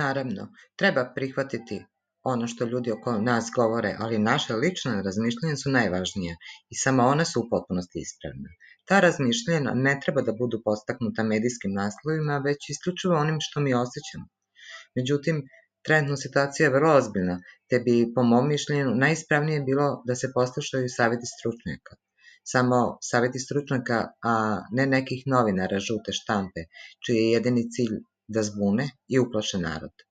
Naravno, treba prihvatiti ono što ljudi oko nas govore, ali naše lična razmišljanja su najvažnija i samo ona su u potpunosti ispravna. Ta razmišljanja ne treba da budu podstaknuta medijskim naslovima, već isključivo onim što mi osjećamo. Međutim, trenutna situacija je vrlo ozbiljna, te bi, po mom mišljenju, najispravnije bilo da se poslušaju saveti stručnjaka. Samo saveti stručnjaka, a ne nekih novinara žute štampe, čiji je jedini cilj da zbune i uplaše narod.